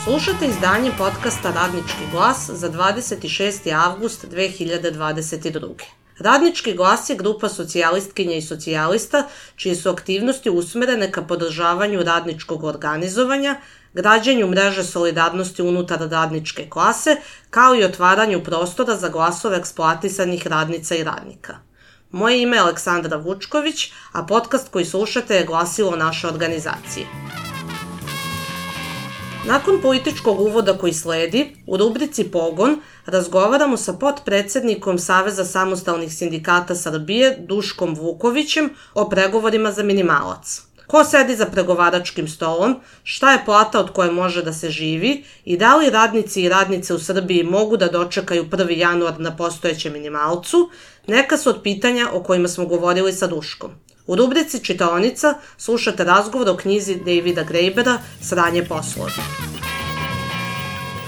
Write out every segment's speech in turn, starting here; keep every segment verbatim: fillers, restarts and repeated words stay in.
Slušate izdanje podcasta Radnički glas za dvadeset šesti avgust dve hiljade dvadeset druge. Radnički glas je grupa socijalistkinja i socijalista čije su aktivnosti usmerene ka podržavanju radničkog organizovanja, građenju mreže solidarnosti unutar radničke klase, kao i otvaranju prostora za glasove eksploatisanih radnica i radnika. Moje ime je Aleksandra Vučković, a podcast koji slušate je glasilo naše organizacije. Nakon političkog uvoda koji sledi, u rubrici Pogon razgovaramo sa potpredsednikom Saveza samostalnih sindikata Srbije Duškom Vukovićem o pregovorima za minimalac. Ko sedi za pregovaračkim stolom, šta je plata od koje može da se živi i da li radnici i radnice u Srbiji mogu da dočekaju prvi januar na postojećem minimalcu, neka su od pitanja o kojima smo govorili sa Duškom. U rubrici Čitaonica slušate razgovor o knjizi Davida Grejbera Sranje poslovi.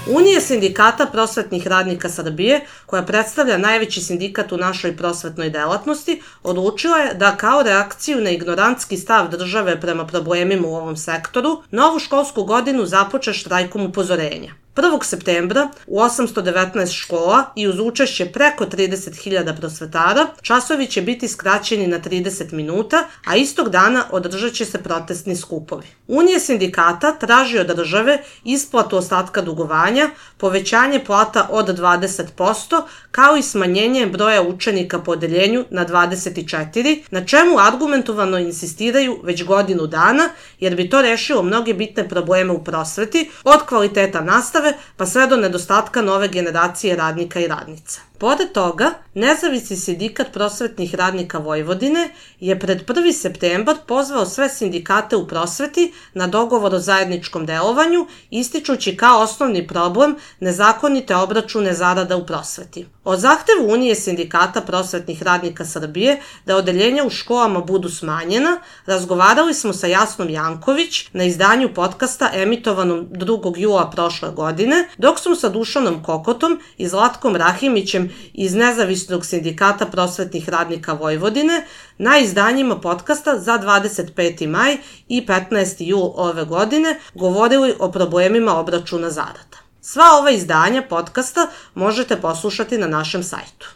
Unija sindikata prosvetnih radnika Srbije, koja predstavlja najveći sindikat u našoj prosvetnoj delatnosti, odlučila je da kao reakciju na ignorantski stav države prema problemima u ovom sektoru, novu školsku godinu započe štrajkom upozorenja. prvog septembra u osamsto devetnaest škola i uz učešće preko trideset hiljada prosvetara časovi će biti skraćeni na trideset minuta, a istog dana održat će se protestni skupovi. Unija sindikata traži od države isplatu ostatka dugovanja, povećanje plata od dvadeset posto, kao i smanjenje broja učenika po odeljenju na dvadeset četiri, na čemu argumentovano insistiraju već godinu dana, jer bi to rešilo mnoge bitne probleme u prosveti, od kvaliteta nastave pa sve do nedostatka nove generacije radnika i radnica. Pored toga, Nezavisni sindikat prosvetnih radnika Vojvodine je pred prvi septembar pozvao sve sindikate u prosveti na dogovor o zajedničkom delovanju, ističući kao osnovni problem nezakonite obračune zarada u prosveti. O zahtevu Unije sindikata prosvetnih radnika Srbije da odeljenja u školama budu smanjena, razgovarali smo sa Jasnom Janković na izdanju podcasta emitovanom drugog jula prošle godine, dok smo sa Dušanom Kokotom i Zlatkom Rahimićem iz Nezavisnog sindikata prosvetnih radnika Vojvodine na izdanjima podcasta za dvadeset peti maj i petnaesti jul ove godine govorili o problemima obračuna zarada. Sva ova izdanja podcasta možete poslušati na našem sajtu.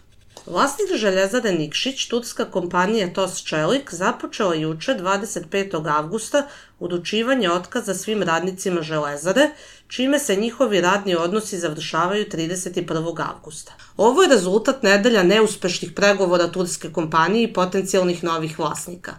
Vlasnik Željezare Nikšić, turska kompanija T O S Čelik, započela juče dvadeset petog avgusta uručivanje otkaza svim radnicima Železare, čime se njihovi radni odnosi završavaju trideset prvog avgusta. Ovo je rezultat nedelja neuspešnih pregovora turske kompanije i potencijalnih novih vlasnika.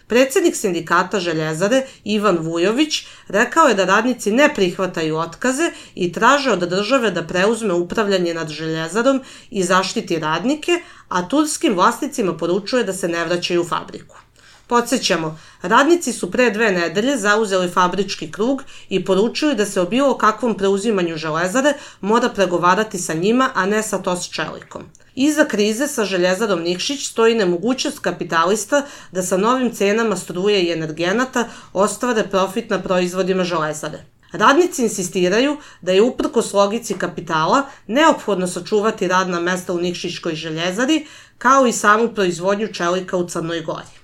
Predsednik sindikata Željezare, Ivan Vujović, rekao je da radnici ne prihvataju otkaze i traže od države da preuzme upravljanje nad Željezarom i zaštiti radnike, a turskim vlasnicima poručuje da se ne vraćaju u fabriku. Podsjećamo, radnici su pre dve nedelje zauzeli fabrički krug i poručili da se o bilo kakvom preuzimanju Železare mora pregovarati sa njima, a ne sa T O S Čelikom. Iza krize sa Željezarom Nikšić stoji nemogućnost kapitalista da sa novim cenama struje i energenata ostvare profit na proizvodima Železare. Radnici insistiraju da je uprkos logici kapitala neophodno sačuvati radna mesta u Nikšićkoj Željezari, kao i samu proizvodnju čelika u Crnoj Gori.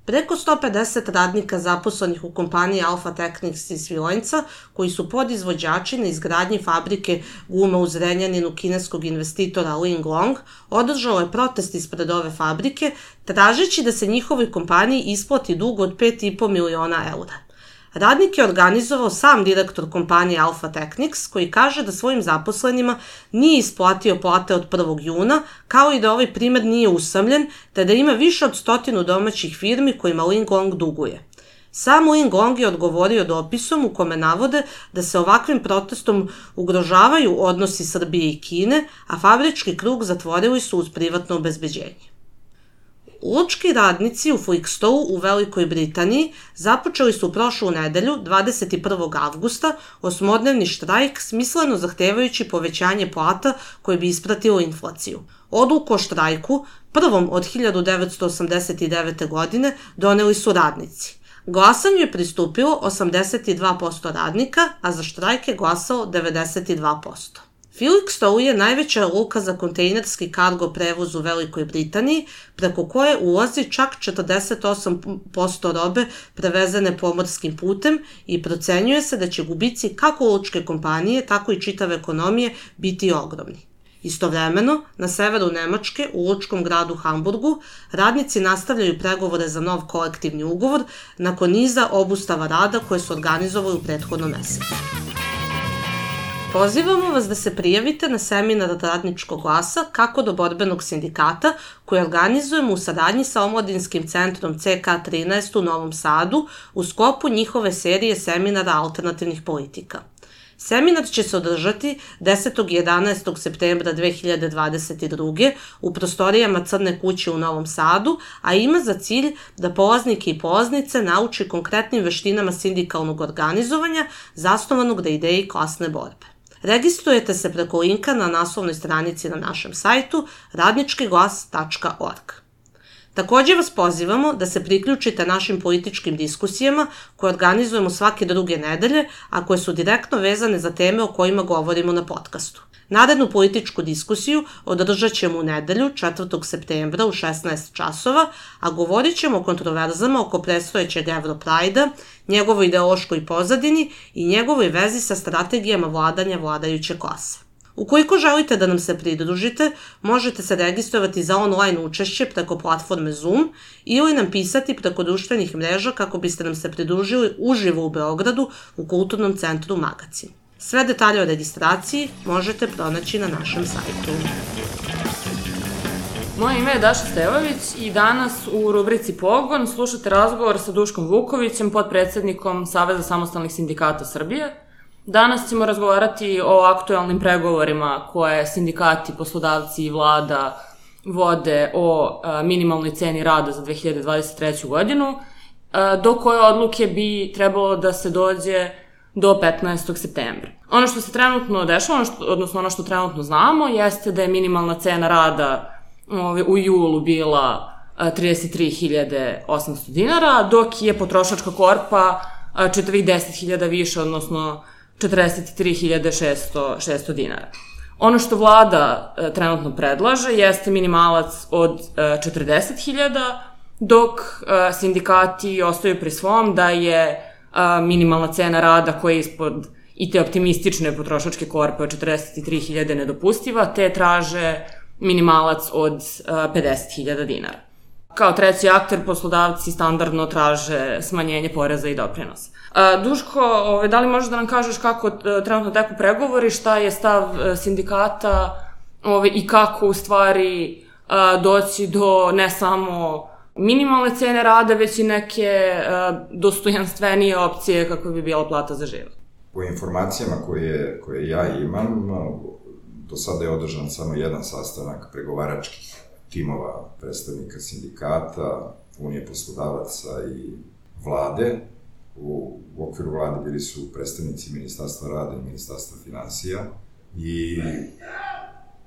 Preko sto pedeset radnika zaposlenih u kompaniji Alfa Technics iz Svilojnca, koji su podizvođači na izgradnji fabrike guma u Zrenjaninu kineskog investitora Linglong, održalo je protest ispred ove fabrike, tražeći da se njihovoj kompaniji isplati dug od pet i po miliona eura. Radnik je organizovao sam direktor kompanije Alfa Technics, koji kaže da svojim zaposlenima nije isplatio plate od prvog juna, kao i da ovaj primer nije usamljen, te da ima više od stotinu domaćih firmi kojima Linglong duguje. Sam Linglong je odgovorio dopisom u kome navode da se ovakvim protestom ugrožavaju odnosi Srbije i Kine, a fabrički krug zatvorili su uz privatno obezbeđenje. Lučki radnici u Felixstowe u Velikoj Britaniji započeli su prošlu nedelju, dvadeset prvog avgusta, osmodnevni štrajk smisleno zahtevajući povećanje plata koje bi ispratilo inflaciju. Odluku o štrajku, prvom od hiljadu devetsto osamdeset devete. godine, doneli su radnici. Glasanju je pristupilo osamdeset dva posto radnika, a za štrajk je glasalo devedeset dva posto. Felixstowe je najveća luka za kontejnerski kargo prevoz u Velikoj Britaniji, preko koje ulazi čak četrdeset osam posto robe prevezene pomorskim putem i procenjuje se da će gubici kako lučke kompanije, tako i čitave ekonomije biti ogromni. Istovremeno, na severu Nemačke, u lučkom gradu Hamburgu, radnici nastavljaju pregovore za nov kolektivni ugovor nakon niza obustava rada koje su organizovali u prethodnom mesecu. Pozivamo vas da se prijavite na seminar Radničkog glasa Kako do borbenog sindikata koji organizujemo u saradnji sa Omladinskim centrom C K trinaest u Novom Sadu u sklopu njihove serije seminara alternativnih politika. Seminar će se održati desetog i jedanaestog septembra dve hiljade dvadeset druge u prostorijama Crne kuće u Novom Sadu, a ima za cilj da polaznike i polaznice nauči konkretnim veštinama sindikalnog organizovanja zasnovanog na ideji klasne borbe. Registrujete se preko linka na naslovnoj stranici na našem sajtu radnički glas tačka org. Takođe vas pozivamo da se priključite našim političkim diskusijama koje organizujemo svake druge nedelje, a koje su direktno vezane za teme o kojima govorimo na podcastu. Narednu političku diskusiju održat ćemo u nedelju, četvrtog septembra u šesnaest časova, a govorit ćemo o kontroverzama oko predstojećeg Europrajda, njegovoj ideološkoj pozadini i njegovoj vezi sa strategijama vladanja vladajuće klase. Ukoliko želite da nam se pridružite, možete se registrovati za online učešće preko platforme Zoom ili nam pisati preko društvenih mreža kako biste nam se pridružili uživo u Beogradu u Kulturnom centru Magacin. Sve detalje o registraciji možete pronaći na našem sajtu. Moje ime je Daša Stevović i danas u rubrici Pogon slušate razgovor sa Duškom Vukovićem, potpredsednikom Saveza samostalnih sindikata Srbije. Danas ćemo razgovarati o aktuelnim pregovorima koje sindikati, poslodavci i vlada vode o minimalnoj ceni rada za dve hiljade dvadeset treću. godinu, do koje odluke bi trebalo da se dođe do petnaestog septembra. Ono što se trenutno dešava, odnosno ono što trenutno znamo, jeste da je minimalna cena rada u julu bila trideset tri hiljade osamsto dinara, dok je potrošačka korpa četiri deset hiljada više, odnosno četrdeset tri hiljade šesto dinara. Ono što vlada e, trenutno predlaže jeste minimalac od e, četrdeset hiljada, dok e, sindikati ostaju pri svom da je e, minimalna cena rada koja je ispod i te optimistične potrošačke korpe od četrdeset tri hiljade nedopustiva, te traže minimalac od e, pedeset hiljada dinara. Kao treći akter, poslodavci standardno traže smanjenje poreza i doprinosa. Duško, da li možeš da nam kažeš kako trenutno teku pregovori, šta je stav sindikata i kako u stvari doći do ne samo minimalne cene rada, već i neke dostojanstvenije opcije kako bi bila plata za život? Po informacijama koje, koje ja imam, do sada je održan samo jedan sastanak pregovaračkih timova predstavnika sindikata, Unije poslodavaca i vlade. U, u okviru vlade bili su predstavnici Ministarstva rada i Ministarstva finansija i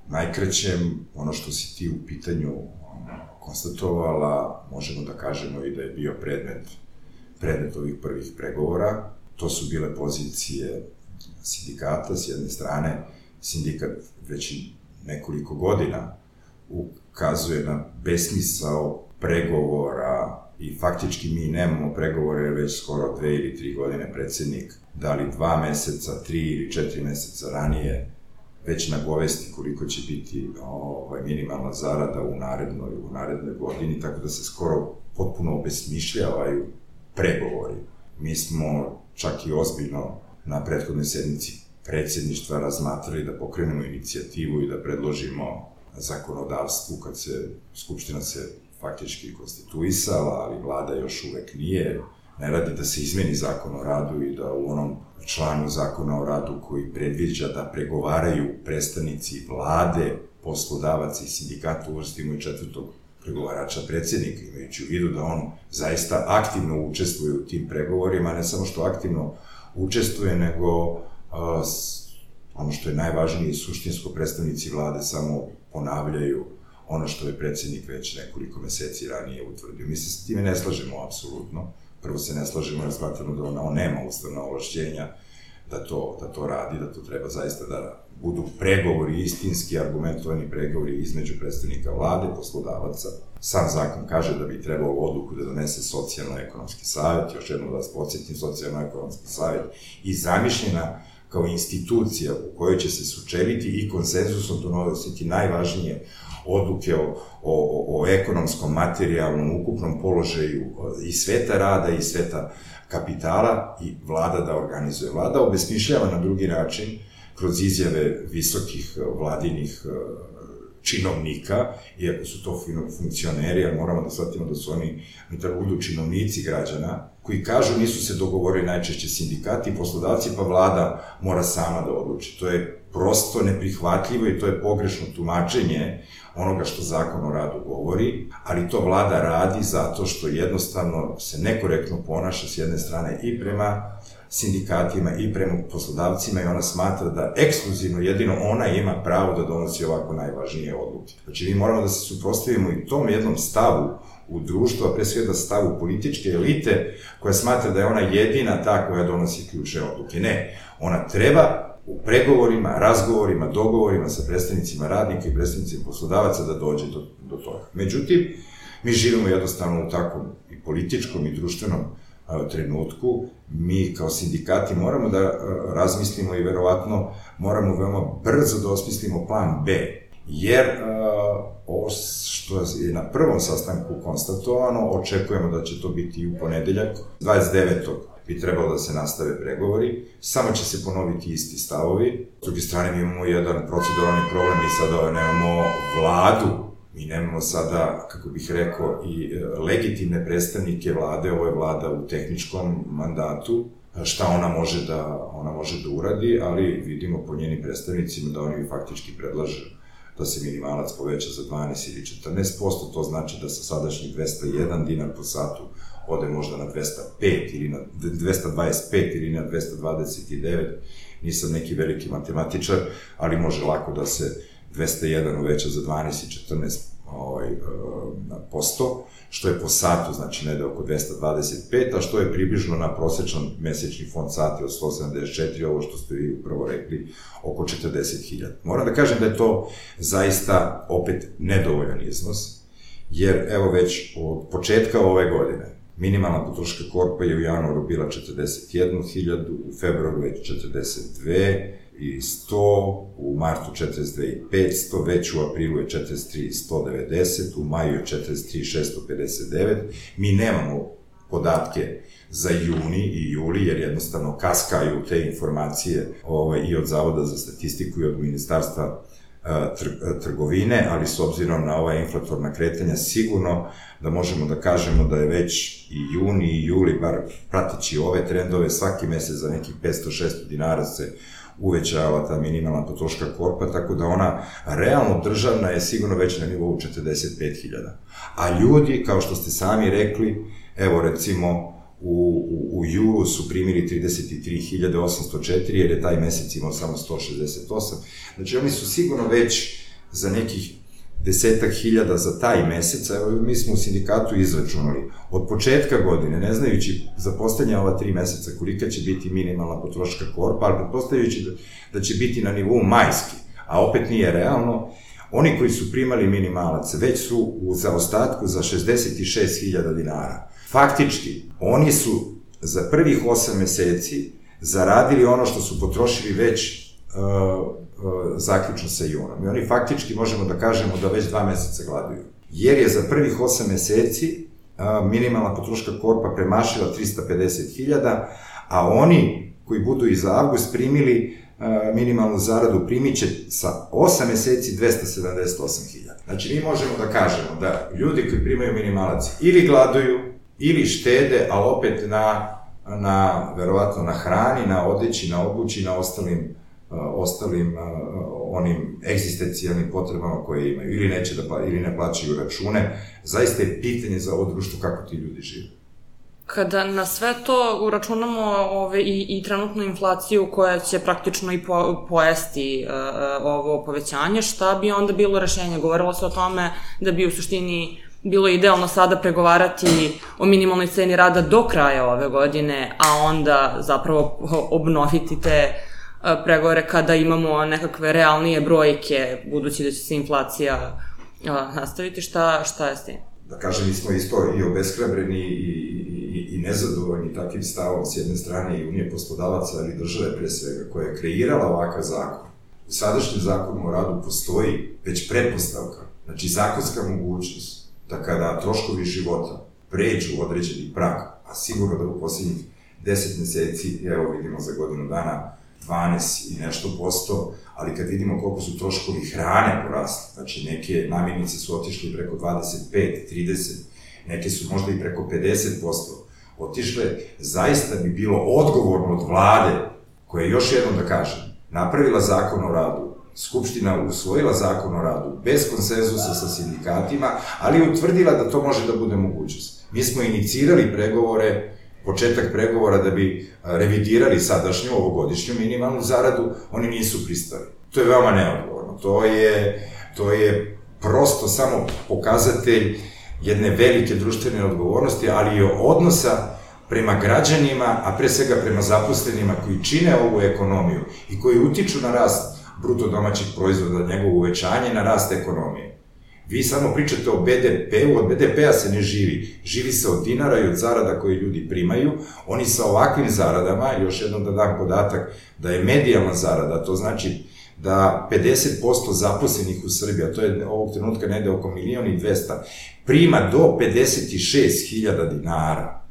najkrećem ono što si ti u pitanju konstatovala, možemo da kažemo i da je bio predmet, predmet ovih prvih pregovora. To su bile pozicije sindikata. S jedne strane, sindikat već nekoliko godina ukazuje na besmisao pregovora i faktički mi nemamo pregovore već skoro dve ili tri godine. Predsednik da li dva meseca, tri ili četiri meseca ranije već nagovesti koliko će biti ovaj, minimalna zarada u narednoj, u narednoj godini, tako da se skoro potpuno obesmišljavaju pregovori. Mi smo čak i ozbiljno na prethodnoj sednici predsedništva razmatrali da pokrenemo inicijativu i da predložimo zakonodavstvu kad se Skupština se faktički konstituisala, ali vlada još uvek nije, ne radi da se izmeni zakon o radu i da u onom članu zakona o radu koji predviđa da pregovaraju predstavnici vlade, poslodavaca i sindikata uvrstimo i četvrtog pregovarača predsednika, imajući u vidu da on zaista aktivno učestvuje u tim pregovorima, ne samo što aktivno učestvuje, nego uh, ono što je najvažnije, suštinsko predstavnici vlade samo ponavljaju ono što je predsednik već nekoliko meseci ranije utvrdio. Mi se s time ne slažemo apsolutno. Prvo se ne slažemo jer smatramo da on nema ustavna ovlašćenja da to, da to radi, da to treba zaista da budu pregovori, istinski argumentovani pregovori između predstavnika vlade, poslodavaca. Sam zakon kaže da bi trebalo odluku da donese socijalno-ekonomski savjet, još jednom da vas podsjetim, socijalno-ekonomski savjet i zamišljena kao institucija u kojoj će se sučeliti i konsenzusom donositi najvažnije odluke o, o, o ekonomskom, materijalnom, ukupnom položaju i sveta rada i sveta kapitala i vlada da organizuje. Vlada obesmišljava na drugi način kroz izjave visokih vladinih činovnika, iako su to funkcioneri, ali moramo da shvatimo da su oni, oni treba budu činovnici građana, koji kažu nisu se dogovorili najčešće sindikati i poslodavci, pa vlada mora sama da odluči. To je prosto neprihvatljivo i to je pogrešno tumačenje onoga što zakon o radu govori, ali to vlada radi zato što jednostavno se nekorektno ponaša s jedne strane i prema sindikatima i prema poslodavcima i ona smatra da ekskluzivno jedino ona ima pravo da donosi ovako najvažnije odluke. Znači, mi moramo da se suprotstavimo i tom jednom stavu u društvu, a pre svega stavu političke elite koja smatra da je ona jedina ta koja donosi ključne odluke. Ne, ona treba u pregovorima, razgovorima, dogovorima sa predstavnicima radnika i predstavnicima poslodavaca da dođe do, do toga. Međutim, mi živimo jednostavno u takvom i političkom i društvenom a, trenutku. Mi kao sindikati moramo da a, razmislimo i verovatno moramo veoma brzo da osmislimo plan B, jer a, ovo što je na prvom sastanku konstatovano, očekujemo da će to biti i u ponedeljak, dvadeset devetog bi trebalo da se nastave pregovori, samo će se ponoviti isti stavovi. S druge strane, mi imamo jedan proceduralni problem, mi sada nemamo vladu, mi nemamo sada, kako bih rekao, i legitimne predstavnike vlade, ovo je vlada u tehničkom mandatu, šta ona može da, ona može da uradi, ali vidimo po njenim predstavnicima da oni faktički predlažu da se minimalac poveća za dvanaest ili četrnaest posto, to znači da sa sadašnjih dvesta jedan dinar po satu ode možda na dvesta pet ili na dvesta dvadeset pet ili na dvesta dvadeset devet, nisam neki veliki matematičar, ali može lako da se dvesta jedan uveća za dvanaest i četrnaest posto, što je po satu, znači negde oko dvesta dvadeset pet, a što je približno na prosečan mesečni fond sati od sto sedamdeset četiri, ovo što ste vi upravo rekli, oko četrdeset hiljada. Moram da kažem da je to zaista opet nedovoljan iznos, jer evo već od početka ove godine minimalna potrošačka korpa je u januaru bila četrdeset jednu hiljadu, u februaru već četrdeset dve i sto, u martu četrdeset dve i petsto, već u aprilu je četrdeset tri i sto devedeset, u maju je četrdeset tri i šesto pedeset devet. Mi nemamo podatke za juni i juli, jer jednostavno kaskaju te informacije ovaj, i od Zavoda za statistiku i od Ministarstva trgovine, ali s obzirom na ova inflatorna kretanja sigurno da možemo da kažemo da je već i juni i juli, bar prateći ove trendove, svaki mesec za nekih petsto do šesto dinara se uvećava ta minimalna potrošačka korpa, tako da ona realno državna je sigurno već na nivou četrdeset pet hiljada. A ljudi, kao što ste sami rekli, evo recimo u, u, u julu su primili trideset tri hiljade osamsto četiri, jer je taj mesec imao samo sto šezdeset osam. Znači oni su sigurno već za nekih desetak hiljada za taj mesec, evo mi smo u sindikatu izračunali, od početka godine, ne znajući za poslednje ova tri meseca kolika će biti minimalna potrošačka korpa, ali pretpostavljajući da, da će biti na nivou majski, a opet nije realno, oni koji su primali minimalac već su u zaostatku za šezdeset šest hiljada dinara. Faktički, oni su za prvih osam meseci zaradili ono što su potrošili već uh, uh, zaključno sa junom. I oni faktički možemo da kažemo da već dva meseca gladuju. Jer je za prvih osam meseci uh, minimalna potrošačka korpa premašila trista pedeset hiljada, a oni koji budu i za avgust primili uh, minimalnu zaradu primit će sa osam meseci dvesta sedamdeset osam hiljada. Znači, mi možemo da kažemo da ljudi koji primaju minimalac ili gladuju, ili štede, ali opet na, na, verovatno na hrani, na odeći, na obući, na ostalim, uh, ostalim uh, onim egzistencijalnim potrebama koje imaju. Ili neće da, ili ne plaćaju račune. Zaista je pitanje za ovo društvo kako ti ljudi žive. Kada na sve to uračunamo ove, i, i trenutnu inflaciju koja će praktično i po, pojesti uh, ovo povećanje, šta bi onda bilo rešenje? Govorilo se o tome da bi u suštini bilo idealno sada pregovarati o minimalnoj ceni rada do kraja ove godine, a onda zapravo obnoviti te pregovore kada imamo nekakve realnije brojke, budući da će se inflacija nastaviti. Šta, šta je s tim? Da kažem, mi smo isto i obeshrabreni i, i, i nezadovoljni takvim stavom s jedne strane i Unije poslodavaca, ali države pre svega, koja je kreirala ovakav zakon. U sadašnjem zakonu o radu postoji već pretpostavka, znači zakonska mogućnost da kada troškovi života pređu određeni prag, a sigurno da u posljednjih deset meseci, evo vidimo za godinu dana, dvanaest i nešto posto, ali kad vidimo koliko su troškovi hrane porasli, znači neke namirnice su otišli preko dvadeset pet, trideset, neke su možda i preko pedeset posto otišle, zaista bi bilo odgovorno od vlade, koja je, još jednom da kažem, napravila zakon o radu, Skupština usvojila zakon o radu, bez konsenzusa sa sindikatima, ali utvrdila da to može da bude mogućnost. Mi smo inicirali pregovore, početak pregovora da bi revidirali sadašnju, ovogodišnju minimalnu zaradu, oni nisu pristali. To je veoma neodgovorno. To je, to je prosto samo pokazatelj jedne velike društvene odgovornosti, ali i odnosa prema građanima, a pre svega prema zaposlenima koji čine ovu ekonomiju i koji utiču na rast bruto domaćih proizvoda, njegovo uvećanje, na rast ekonomije. Vi samo pričate o be de pe-u, od be de pe-a se ne živi. Živi se od dinara i od zarada koje ljudi primaju. Oni sa ovakvim zaradama, još jednom da dam podatak, da je medijalna zarada, to znači da pedeset posto zaposlenih u Srbiji, a to je ovog trenutka negde oko milion i dvesta, prima do pedeset šest hiljada dinara,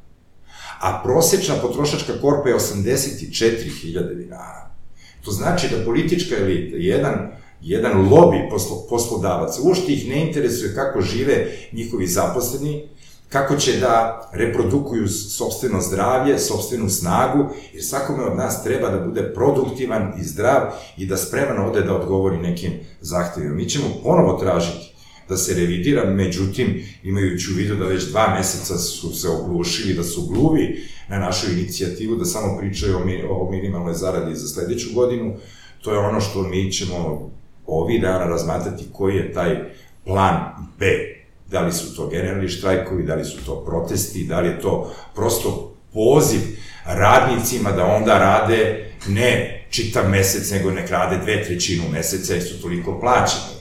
a prosečna potrošačka korpa je osamdeset četiri hiljade dinara. To znači da politička elita, jedan jedan lobi poslo, poslodavaca, uopšte ih ne interesuje kako žive njihovi zaposleni, kako će da reprodukuju sopstveno zdravlje, sopstvenu snagu, jer svakome od nas treba da bude produktivan i zdrav i da spreman ode da odgovori nekim zahtevima. Mi ćemo ponovo tražiti da se revidira, međutim, imajući u vidu da već dva meseca su se oglušili, da su gluvi na našu inicijativu, da samo pričaju o, mi, o minimalnoj zaradi za sledeću godinu, to je ono što mi ćemo ovih dana razmatrati koji je taj plan B. Da li su to generalni štrajkovi, da li su to protesti, da li je to prosto poziv radnicima da onda rade ne čitav mesec, nego nek rade dve trećinu meseca jer su toliko plaćeni.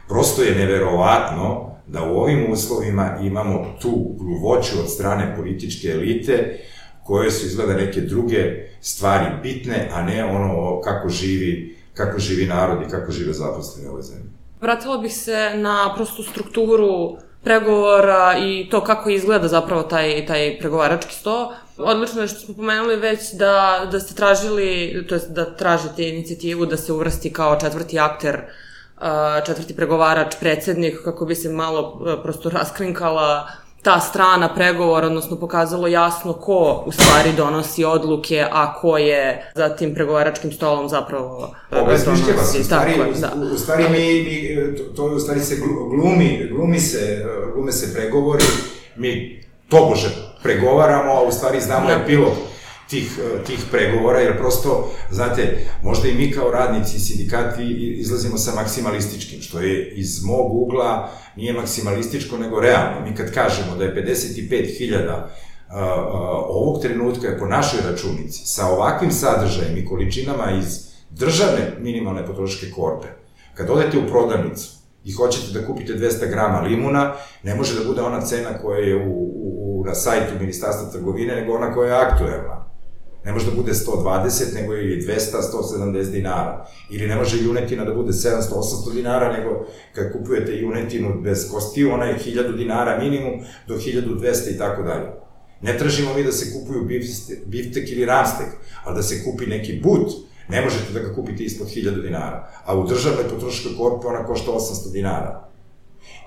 Prosto je neverovatno da u ovim uslovima imamo tu gluvoću od strane političke elite koje su izgleda neke druge stvari bitne, a ne ono kako živi kako živi narod i kako žive zaposleni u ovoj zemlji. Vratila bih se na prostu strukturu pregovora i to kako izgleda zapravo taj, taj pregovarački sto. Odlično je što smo pomenuli već da, da ste tražili, to jest da tražite inicijativu da se uvrsti kao četvrti akter, četvrti pregovarač, predsednik, kako bi se malo prosto raskrinkala ta strana pregovora, odnosno pokazalo jasno ko u stvari donosi odluke, a ko je za tim pregovaračkim stolom zapravo obezmišljava se. U stvari, da. u stvari mi, mi, to, to u stvari se glumi, glumi se, glume se pregovori, mi tobože pregovaramo, a u stvari znamo epilog tih, tih pregovora, jer prosto, znate, možda i mi kao radnici i sindikati izlazimo sa maksimalističkim, što je iz mog ugla nije maksimalističko, nego realno. Mi kad kažemo da je pedeset pet hiljada ovog trenutka je po našoj računici sa ovakvim sadržajem i količinama iz državne minimalne potrošačke korpe, kad odete u prodavnicu i hoćete da kupite dvesta grama limuna, ne može da bude ona cena koja je u, u, na sajtu Ministarstva trgovine, nego ona koja je aktuelna. Ne može da bude sto dvadeset, nego i dvesta, sto sedamdeset dinara. Ili ne može junetina da bude sedamsto osamsto dinara, nego kad kupujete junetinu bez kostiju, ona je hiljadu dinara minimum do hiljadu dvesta i tako dalje. Ne tražimo mi da se kupuju biftek ili ramstek, ali da se kupi neki but, ne možete da ga kupite ispod hiljadu dinara. A u državnoj potrošačkoj korpi ona košta osamsto dinara.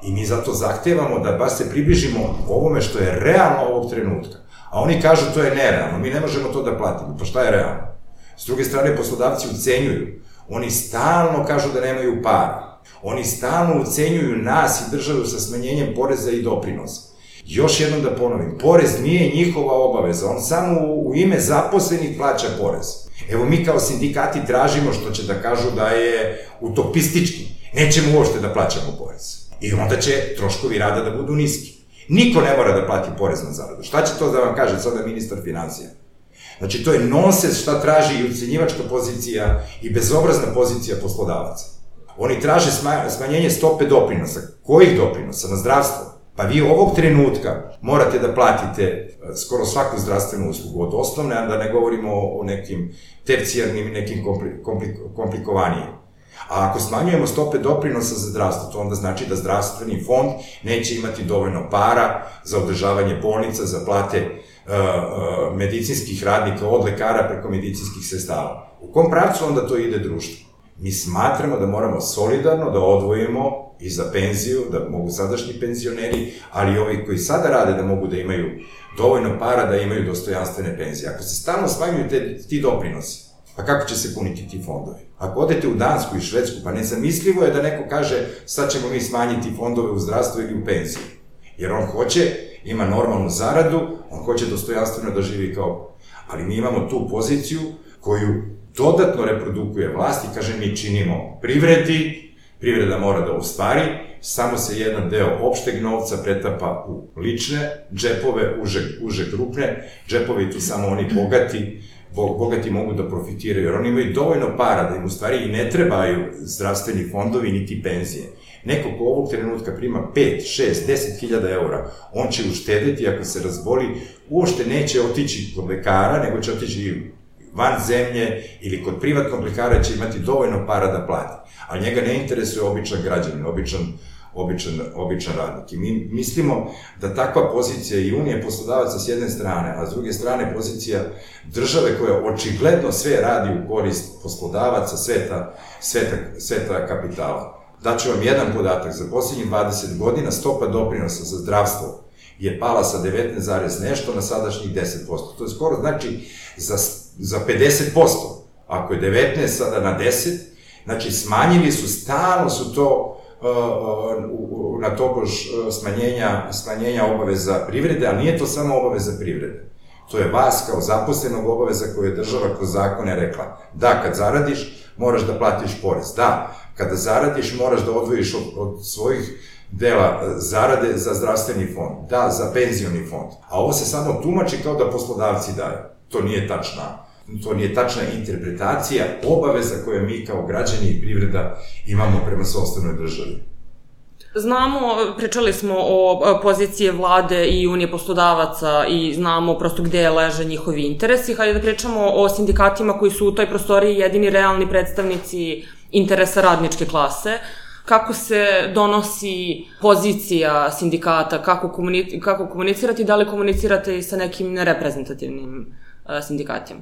I mi zato zahtevamo da baš se približimo ovome što je realno ovog trenutka. A oni kažu to je nerealno, mi ne možemo to da platimo. Pa šta je realno? S druge strane, poslodavci ucenjuju. Oni stalno kažu da nemaju para. Oni stalno ucenjuju nas i državu sa smanjenjem poreza i doprinosa. Još jednom da ponovim, porez nije njihova obaveza, on samo u ime zaposlenih plaća porez. Evo mi kao sindikati tražimo, što će da kažu da je utopistički, nećemo uopšte da plaćamo porez. I onda će troškovi rada da budu niski. Niko ne mora da plati porez na zaradu. Šta će to da vam kaže sada ministar financija? Znači, to je nonsens šta traži i ucenjivačka pozicija i bezobrazna pozicija poslodavaca. Oni traže smanjenje stope doprinosa. Kojih doprinosa? Na zdravstvo. Pa vi ovog trenutka morate da platite skoro svaku zdravstvenu uslugu, od osnovne, a da ne govorimo o nekim tercijarnim i nekim komplikovanijim. A ako smanjujemo stope doprinosa za zdravstvo, to onda znači da zdravstveni fond neće imati dovoljno para za održavanje bolnica, za plate medicinskih radnika, od lekara preko medicinskih sestava. U kom pravcu onda to ide društvo? Mi smatramo da moramo solidarno da odvojimo i za penziju, da mogu sadašnji penzioneri, ali i ovi koji sada rade da mogu da imaju dovoljno para da imaju dostojanstvene penzije. Ako se stalno smanjuju ti doprinosi, pa kako će se puniti ti fondovi? Ako odete u Dansku i Švedsku, pa nezamislivo je da neko kaže sad ćemo mi smanjiti fondove u zdravstvu ili u penziji. Jer on hoće, ima normalnu zaradu, on hoće dostojanstveno da živi kao... Ali mi imamo tu poziciju koju dodatno reprodukuje vlast i kaže mi činimo privredi, privreda mora da ostvari, samo se jedan deo opšteg novca pretapa u lične džepove, uže krupne džepove i tu samo oni bogati, bogati mogu da profitiraju, jer oni imaju dovoljno para da im u stvari i ne trebaju zdravstveni fondovi niti penzije. Neko ko ovog trenutka prima pet, šest, deset hiljada eura, on će uštedeti ako se razboli, uopšte neće otići kod lekara, nego će otići van zemlje ili kod privatnog lekara će imati dovoljno para da plati. Ali njega ne interesuje običan građanin, običan, običan, običan radnik. I mi mislimo da takva pozicija i Unije poslodavaca s jedne strane, a s druge strane pozicija države koja očigledno sve radi u korist poslodavaca, sveta, sveta, sveta kapitala. Daću vam jedan podatak, za posljednjih dvadeset godina stopa doprinosa za zdravstvo je pala sa devetnaest zarez nešto na sadašnjih deset posto. To je skoro znači za, za pedeset posto. Ako je devetnaest sada na deset, znači smanjili su, stalno su to uh, na tobož smanjenja, smanjenja obaveza privrede, ali nije to samo obaveza privrede. To je vas kao zaposlenog obaveza koju je država kroz zakone rekla. Da, kad zaradiš, moraš da platiš porez. Da, kada zaradiš, moraš da odvojiš od, od svojih dela zarade za zdravstveni fond, da, za penzioni fond. A ovo se samo tumači kao da poslodavci daju. To nije tačna, to nije tačna interpretacija obaveza koje mi kao građani i privreda imamo prema sopstvenoj državi. Znamo, pričali smo o pozicije vlade i Unije poslodavaca i znamo prosto gde leže njihovi interesi. Hajde da pričamo o sindikatima koji su u toj prostoriji jedini realni predstavnici interesa radničke klase. Kako se donosi pozicija sindikata, kako, komunic kako komunicirati, da li komunicirate i sa nekim nereprezentativnim uh, sindikatima?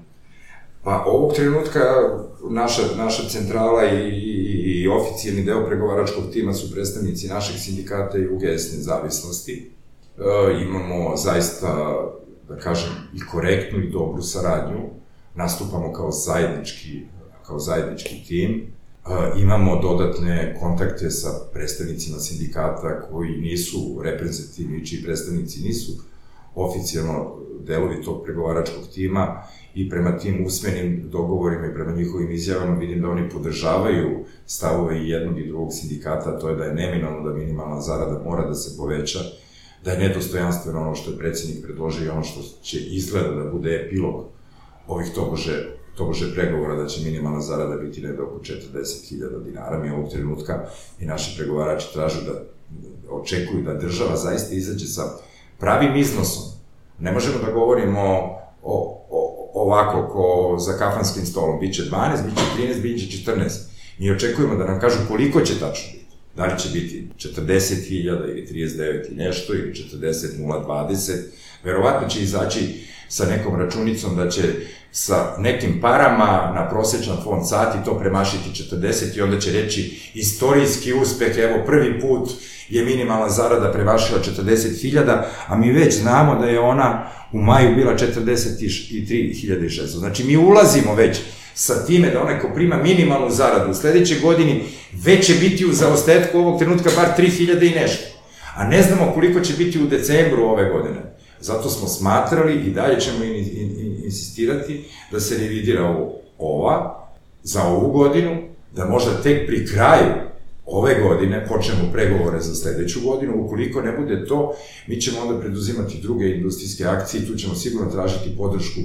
Pa ovog trenutka naša, naša centrala i, i, i oficijalni deo pregovaračkog tima su predstavnici našeg sindikata i U G S nezavisnosti. E, imamo zaista, da kažem, i korektnu i dobru saradnju. Nastupamo kao zajednički, kao zajednički tim. E, imamo dodatne kontakte sa predstavnicima sindikata koji nisu reprezentativni, čiji predstavnici nisu oficijalno delovi tog pregovaračkog tima i prema tim usmenim dogovorima i prema njihovim izjavama vidim da oni podržavaju stavove i jednog i drugog sindikata, a to je da je neminovno da minimalna zarada mora da se poveća, da je nedostojanstveno ono što je predsjednik predložio i ono što će izgleda da bude epilog ovih tobože, tobože pregovora, da će minimalna zarada biti negde oko četrdeset hiljada dinara. Mi ovog trenutka i naši pregovarači tražu da očekuju da država zaista izađe sa pravim iznosom. Ne možemo da govorimo o, o, ovako ko za kafanskim stolom. Biće dvanaest, biće trinaest, biće četrnaest. Mi očekujemo da nam kažu koliko će tačno biti. Da li će biti četrdeset hiljada ili trideset devet i nešto, ili četrdeset nula dvadeset. Verovatno će izaći sa nekom računicom da će sa nekim parama na prosječan fond sati to premašiti četrdeset i onda će reći istorijski uspeh, evo prvi put je minimalna zarada premašila četrdeset hiljada, a mi već znamo da je ona u maju bila četrdeset tri hiljade šesto. Znači mi ulazimo već sa time da onaj ko prima minimalnu zaradu u sledećoj godini već će biti u zaostetku ovog trenutka bar tri hiljade i nešto. A ne znamo koliko će biti u decembru ove godine. Zato smo smatrali i dalje ćemo insistirati da se revidira ova za ovu godinu, da možda tek pri kraju ove godine počnemo pregovore za sledeću godinu, ukoliko ne bude to, mi ćemo onda preduzimati druge industrijske akcije, tu ćemo sigurno tražiti podršku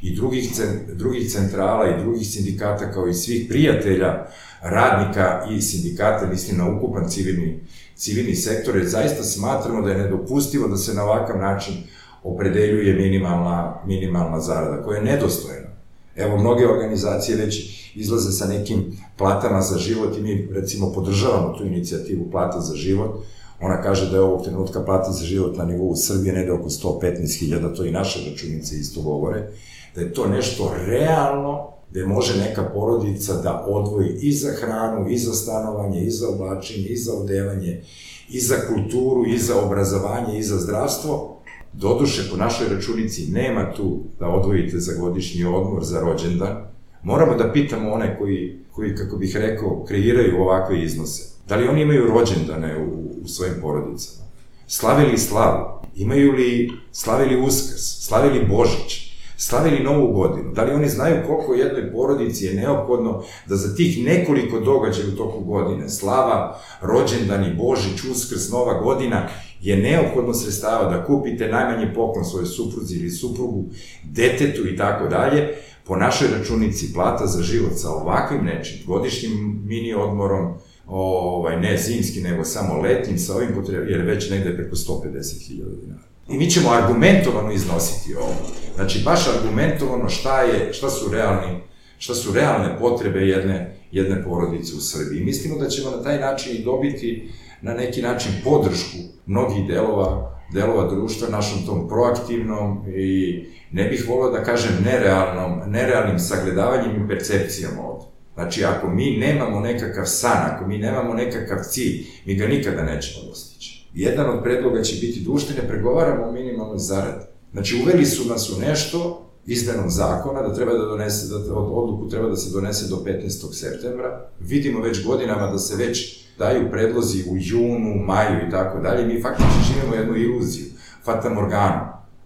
i drugih, drugih centrala i drugih sindikata, kao i svih prijatelja, radnika i sindikata, mislim na ukupan civilni, civilni sektor, jer zaista smatramo da je nedopustivo da se na ovakav način opredeljuje minimalna, minimalna zarada, koja je nedostojna. Evo, mnoge organizacije već izlaze sa nekim platama za život i mi, recimo, podržavamo tu inicijativu Plata za život. Ona kaže da je ovog trenutka plata za život na nivou Srbije negde oko sto petnaest hiljada, to i naše računice isto govore, da je to nešto realno, gde može neka porodica da odvoji i za hranu, i za stanovanje, i za oblačenje, i za odevanje, i za kulturu, i za obrazovanje, i za zdravstvo. Doduše, po našoj računici nema tu da odvojite za godišnji odmor, za rođendan. Moramo da pitamo one koji, koji, kako bih rekao, kreiraju ovakve iznose. Da li oni imaju rođendane u, u svojim porodicama? Slavili slavu? Imaju li, slavili Uskrs? Slavili Božić? Slavili Novu godinu? Da li oni znaju koliko jednoj porodici je neophodno da za tih nekoliko događaja u toku godine, slava, rođendani, Božić, Uskrs, Nova godina, je neophodno sredstava da kupite najmanji poklon svojoj supruzi ili suprugu, detetu i tako dalje, po našoj računici plata za život sa ovakvim nečim, godišnjim mini odmorom, ovaj, ne zimski, nego samo letnim, sa ovim potrebom, jer već negde preko sto pedeset hiljada dinara. I mi ćemo argumentovano iznositi ovo. Znači, baš argumentovano šta je, šta su realni, šta su realne potrebe jedne, jedne porodice u Srbiji. Mislimo da ćemo na taj način i dobiti na neki način podršku mnogih delova, delova društva našom tom proaktivnom i ne bih volio da kažem nerealnom, nerealnim sagledavanjem i percepcijom ovde. Znači, ako mi nemamo nekakav san, ako mi nemamo nekakav cilj, mi ga nikada nećemo dostići. Jedan od predloga će biti da uopšte ne pregovaramo o minimalnoj zaradi. Znači, uveli su nas u nešto, izmenom zakona, da treba da donese, da odluku treba da se donese do petnaestog septembra. Vidimo već godinama da se već daju predlozi u junu, maju i tako dalje. Mi faktički živimo jednu iluziju, fatamorganu.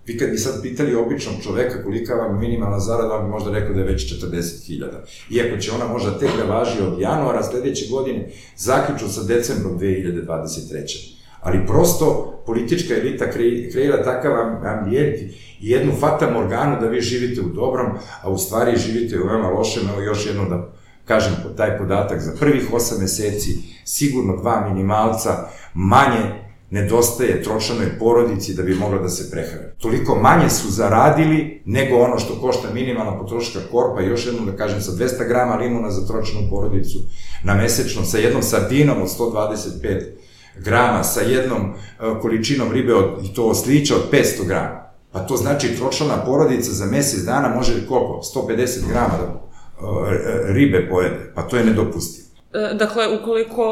Vi kad bi sad pitali običnog čoveka kolika vam minimalna zarada, on bi možda rekao da je već četrdeset hiljada. Iako će ona možda tek da važi od januara sledeće godine, zaključno sa decembrom dve hiljade dvadeset treće. Ali prosto politička elita kreira takav ambijent i jednu fatamorganu da vi živite u dobrom, a u stvari živite u veoma lošem. Evo još jednom da kažem taj podatak, za prvih osam meseci sigurno dva minimalca manje nedostaje tročanoj porodici da bi mogla da se prehrane. Toliko manje su zaradili nego ono što košta minimalna potrošačka korpa, i još jednom da kažem, sa dvesta grama limuna za tročanu porodicu na mesečno, sa jednom sardinom od sto dvadeset pet grama, sa jednom količinom ribe od, i to oslića od petsto grama. Pa to znači tročlana porodica za mesec dana može koliko? sto pedeset grama da ribe pojede. Pa to je nedopustivo. Dakle, ukoliko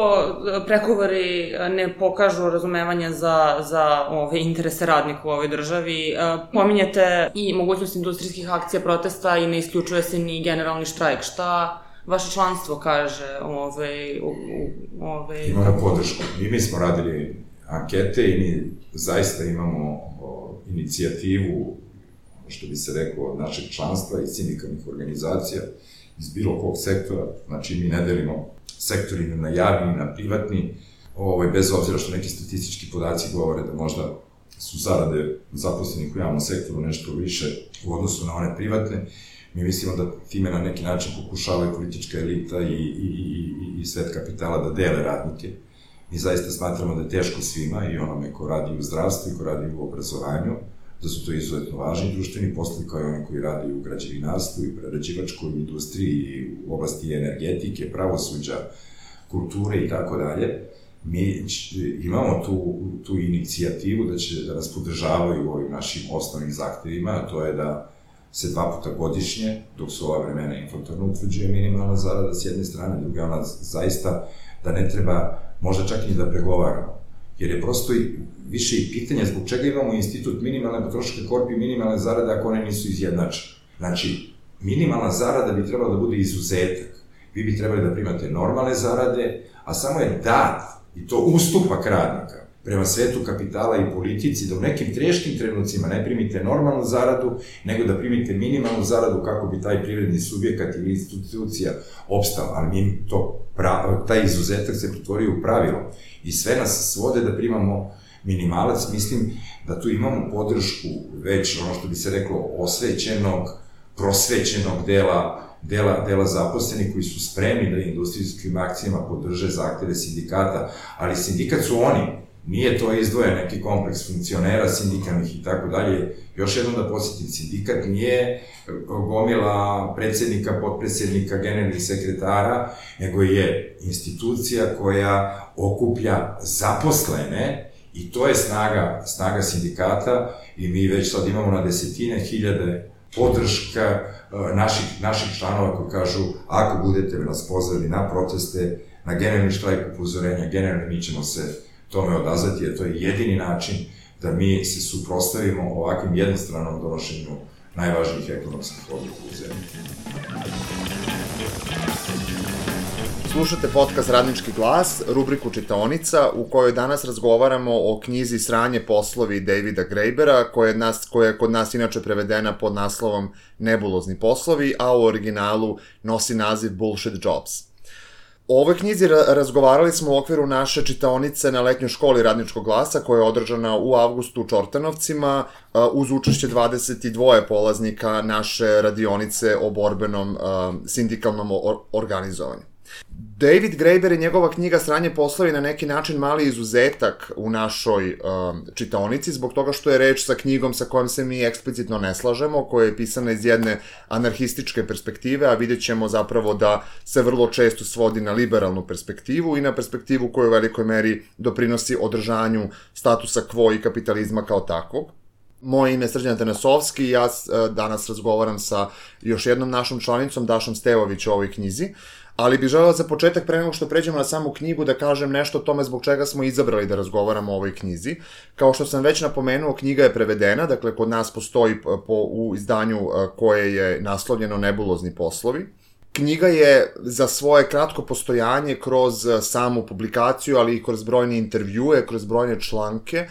pregovori ne pokažu razumevanje za, za ove interese radnika u ovoj državi, pominjete i mogućnost industrijskih akcija protesta i ne isključuje se ni generalni štrajk. Šta vaše članstvo kaže ove... ove... Imamo podršku. I mi smo radili ankete i mi zaista imamo inicijativu, što bi se reklo, od našeg članstva i sindikalnih organizacija iz bilo kog sektora. Znači, mi ne delimo sektori na javni, na privatni, ovaj, bez obzira što neki statistički podaci govore da možda su zarade zaposlenih u javnom sektoru nešto više u odnosu na one privatne. Mi mislimo da time na neki način pokušavaju politička elita i, i, i, i svet kapitala da dele radnike. Mi zaista smatramo da je teško svima, i onome ko radi u zdravstvu i ko radi u obrazovanju, da su to izuzetno važni društveni poslovi, kao i oni koji radi u građevinarstvu i prerađivačkoj industriji i u oblasti energetike, pravosuđa, kulture i tako dalje. Mi imamo tu, tu inicijativu da će da nas podržavaju u ovim našim osnovnim zahtevima, a to je da se dva puta godišnje, dok su ova vremena inflatorno, utvrđuje minimalna zarada s jedne strane, druga ona zaista da ne treba možda čak i da pregovaramo. Jer je prosto i više i pitanje zbog čega imamo institut minimalne potrošačke korpe i minimalne zarade ako one nisu izjednačene. Znači, minimalna zarada bi trebala da bude izuzetak. Vi bi trebali da primate normalne zarade, a samo je dat, i to ustupak radnika, prema svetu kapitala i politici, da u nekim teškim trenucima ne primite normalnu zaradu, nego da primite minimalnu zaradu kako bi taj privredni subjekat ili institucija opstala, ali mi to, taj izuzetak se pretvorio u pravilo i sve nas svode da primamo minimalac. Mislim da tu imamo podršku već, ono što bi se reklo, osvećenog, prosvećenog dela dela, dela zaposlenih koji su spremni da industrijskim akcijama podrže zahteve sindikata, ali sindikat su oni, nije to izdvojen neki kompleks funkcionera, sindikalnih i tako dalje. Još jednom da posjetim, sindikat nije gomila predsednika, potpredsednika, generalnih sekretara, nego je institucija koja okuplja zaposlene i to je snaga, snaga sindikata i mi već sad imamo na desetine hiljade podrška naših, naših članova koji kažu ako budete nas pozvali na proteste, na generalni štrajk upozorenja, generalno mi ćemo se tome odazvati, jer to je jedini način da mi se suprotstavimo ovakvim jednostranom donošenju najvažnijih ekonomskih odluka u zemlji. Slušate podcast Radnički glas, rubriku Čitaonica, u kojoj danas razgovaramo o knjizi Sranje poslovi Davida Grabera, koja je, nas, koja je kod nas inače prevedena pod naslovom Nebulozni poslovi, a u originalu nosi naziv Bullshit Jobs. O ovoj knjizi razgovarali smo u okviru naše čitaonice na letnjoj školi Radničkog glasa, koja je održana u avgustu u Čortanovcima, uz učešće dvadeset dva polaznika naše radionice o borbenom sindikalnom organizovanju. David Graeber i njegova knjiga Sranje poslovi na neki način mali izuzetak u našoj um, čitaonici, zbog toga što je reč sa knjigom sa kojom se mi eksplicitno ne slažemo, koja je pisana iz jedne anarhističke perspektive, a vidjet ćemo zapravo da se vrlo često svodi na liberalnu perspektivu i na perspektivu koja u velikoj meri doprinosi održanju statusa quo i kapitalizma kao takvog. Moje ime je Srđan Tanasovski i ja danas razgovaram sa još jednom našom članicom, Dašom Stevović, o ovoj knjizi. Ali bih želeo za početak, pre nego što pređemo na samu knjigu, da kažem nešto o tome zbog čega smo izabrali da razgovaramo o ovoj knjizi. Kao što sam već napomenuo, knjiga je prevedena, dakle kod nas postoji po, u izdanju koje je naslovljeno Nebulozni poslovi. Knjiga je za svoje kratko postojanje kroz samu publikaciju, ali i kroz brojne intervjue, kroz brojne članke,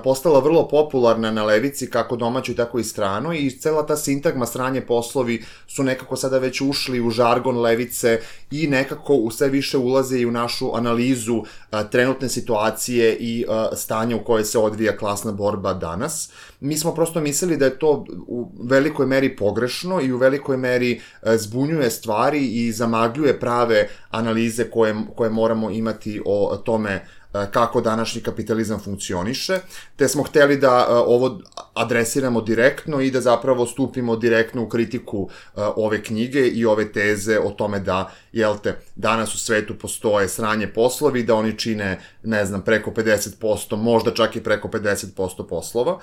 postala vrlo popularna na levici, kako domaćoj, tako i stranoj, i cela ta sintagma Sranje poslovi su nekako sada već ušli u žargon levice i nekako u sve više ulaze i u našu analizu trenutne situacije i stanja u kojoj se odvija klasna borba danas. Mi smo prosto mislili da je to u velikoj meri pogrešno i u velikoj meri zbunjuje stvari i zamagljuje prave analize koje, koje moramo imati o tome kako današnji kapitalizam funkcioniše, te smo hteli da ovo adresiramo direktno i da zapravo stupimo direktno u kritiku ove knjige i ove teze o tome da, jel te, danas u svetu postoje sranje poslovi, da oni čine, ne znam, preko pedeset posto, možda čak i preko pedeset posto poslova.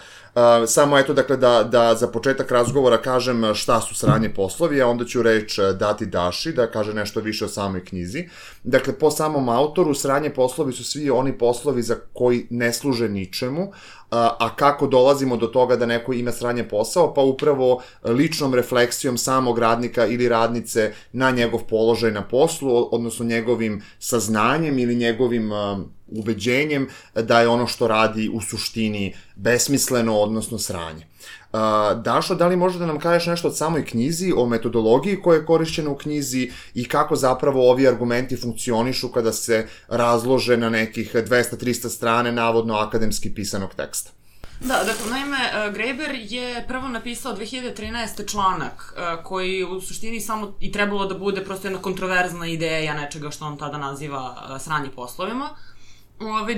Samo eto, dakle, da, da za početak razgovora kažem šta su sranje poslovi, a onda ću reč dati Daši da kaže nešto više o samoj knjizi. Dakle, po samom autoru, sranje poslovi su svi oni poslovi za koji ne služe ničemu, a kako dolazimo do toga da neko ima sranje posao? Pa upravo ličnom refleksijom samog radnika ili radnice na njegov položaj na poslu, odnosno njegovim saznanjem ili njegovim ubeđenjem da je ono što radi u suštini besmisleno, odnosno sranje. Dašo, da li možeš da nam kažeš nešto od samoj knjizi, o metodologiji koja je korišćena u knjizi i kako zapravo ovi argumenti funkcionišu kada se razlože na nekih dvesta do trista strane navodno akademski pisanog teksta? Da, dakle, naime, Graeber je prvo napisao dve hiljade trinaeste. članak koji u suštini samo i trebalo da bude prosto jedna kontroverzna ideja nečega što on tada naziva sranje poslovima,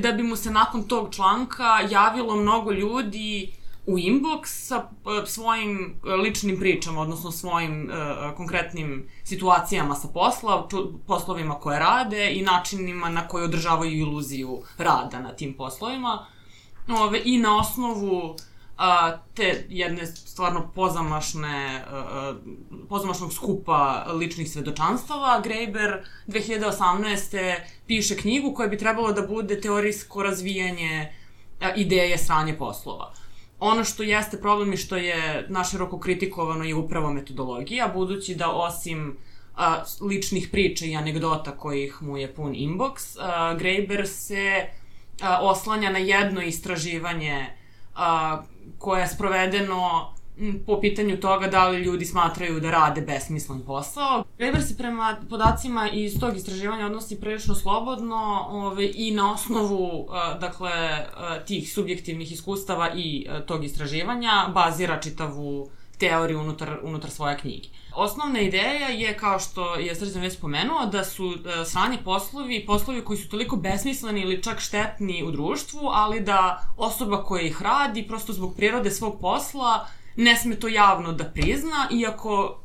da bi mu se nakon tog članka javilo mnogo ljudi u inbox sa svojim ličnim pričama, odnosno svojim uh, konkretnim situacijama sa posla, poslovima koje rade i načinima na koje održavaju iluziju rada na tim poslovima. Ove, I na osnovu uh, te jedne stvarno pozamašne, uh, pozamašnog skupa ličnih svedočanstava, Graeber dve hiljade osamnaeste. piše knjigu koja bi trebalo da bude teorijsko razvijanje uh, ideje sranje poslova. Ono što jeste problem i što je naširoko kritikovano je upravo metodologija, budući da osim a, ličnih priča i anegdota kojih mu je pun inbox, a, Graeber se oslanja na jedno istraživanje koje je sprovedeno po pitanju toga da li ljudi smatraju da rade besmislen posao. Graeber se prema podacima iz tog istraživanja odnosi prilično slobodno ove, i na osnovu dakle, tih subjektivnih iskustava i tog istraživanja bazira čitavu teoriju unutar, unutar svoje knjige. Osnovna ideja je, kao što je Srđan već spomenuo, da su sranje poslovi, poslovi koji su toliko besmisleni ili čak štetni u društvu, ali da osoba koja ih radi, prosto zbog prirode svog posla, ne sme to javno da prizna, iako